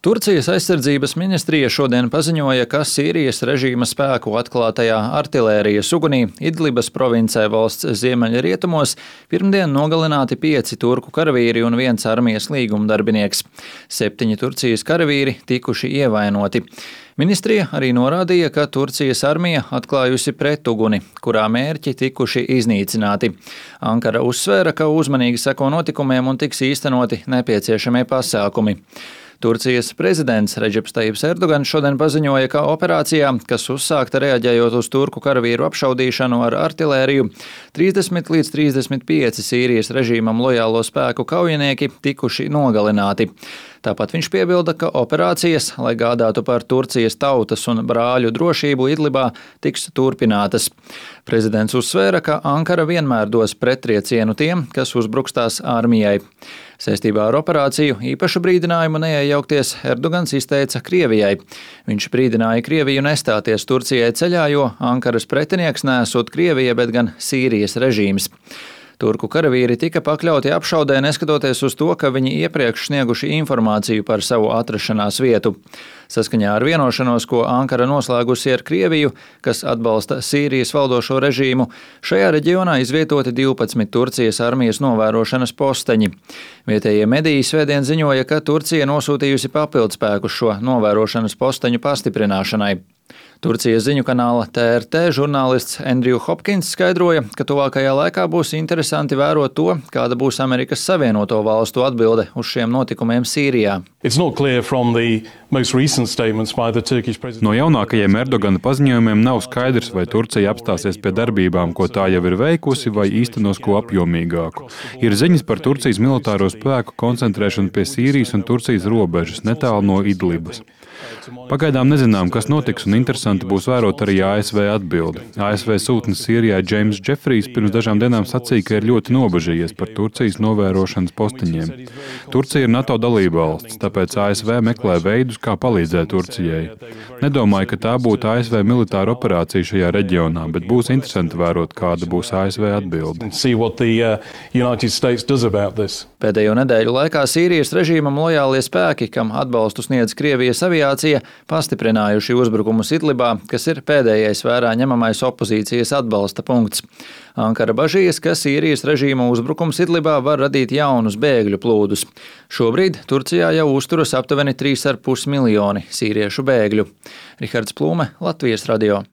Turcijas aizsardzības ministrija šodien paziņoja, ka Sīrijas režīma spēku atklātajā artilērijas ugunī Idlibas provincē valsts ziemeļrietumos pirmdien nogalināti 5 turku karavīri un 1 armijas līgumdarbinieks. 7 Turcijas karavīri tikuši ievainoti. Ministrija arī norādīja, ka Turcijas armija atklājusi pretuguni, kurā mērķi tikuši iznīcināti. Ankara uzsvēra, ka uzmanīgi seko notikumiem un tiks īstenoti nepieciešamie pasākumi. Turcijas prezidents Redžeps Tajibs Erdogans šodien paziņoja, ka operācijā, kas uzsākta reaģējot uz turku karavīru apšaudīšanu ar artilēriju, 30 līdz 35 Sīrijas režīmam lojālo spēku kaujinieki tikuši nogalināti. Tāpat viņš piebilda, ka operācijas, lai gādātu par Turcijas tautas un brāļu drošību Idlibā, tiks turpinātas. Prezidents uzsvēra, ka Ankara vienmēr dos pretriecienu tiem, kas uzbruks tās armijai. Saistībā ar operāciju īpašu brīdinājumu neiejaukties Erdogans izteica Krievijai. Viņš brīdināja Krieviju nestāties Turcijai ceļā, jo Ankaras pretinieks nesot Krievija, bet gan Sīrijas režīms. Turku karavīri tika pakļauti apšaudē, neskatoties uz to, ka viņi iepriekš snieguši informāciju par savu atrašanās vietu. Saskaņā ar vienošanos, ko Ankara noslēgusi ar Krieviju, kas atbalsta Sīrijas valdošo režīmu, šajā reģionā izvietoti 12 Turcijas armijas novērošanas posteņi. Vietējie mediji svētdien ziņoja, ka Turcija nosūtījusi papildspēkus šo novērošanas posteņu pastiprināšanai. Turcijas ziņu kanāla TRT žurnālists Andrew Hopkins skaidroja, ka tuvākajā laikā būs interesanti vērot to, kāda būs Amerikas Savienoto Valstu atbilde uz šiem notikumiem Sīrijā. No jaunākajiem Erdogana paziņojumiem nav skaidrs, vai Turcija apstāsies pie darbībām, ko tā jau ir veikusi, vai īstenos ko apjomīgāku. Ir ziņas par Turcijas militāro spēku koncentrēšanu pie Sīrijas un Turcijas robežas, netālu no Idlibas. Pagaidām nezinām, kas notiks, un interesanti būs vērot arī ASV atbildi. ASV sūtnis Sīrijā Džeims Džefrijs pirms dažām dienām sacīja, ka ir ļoti nobažījies par Turcijas novērošanas posteņiem. Turcija ir NATO dalībvalsts, tāpēc ASV meklē veidus, kā palīdzēt Turcijai. Nedomāju, ka tā būtu ASV militāra operācija šajā reģionā, bet būs interesanti vērot, kāda būs ASV atbilde. Pēdējo nedēļu laikā Sīrijas režīmam lojālie spēki, kam atbalstu sniedz Krievijas aviācija, pastiprinājuši uzbrukumus Idlibā, kas ir pēdējais vērā ņemamais opozīcijas atbalsta punkts. Ankara bažījas, ka Sīrijas režīma uzbrukums Idlibā var radīt jaunus bēgļu plūdus. Šobrīd Turcijā jau uzturas aptuveni 3,5 miljoni sīriešu bēgļu. Rihards Plūme, Latvijas radio.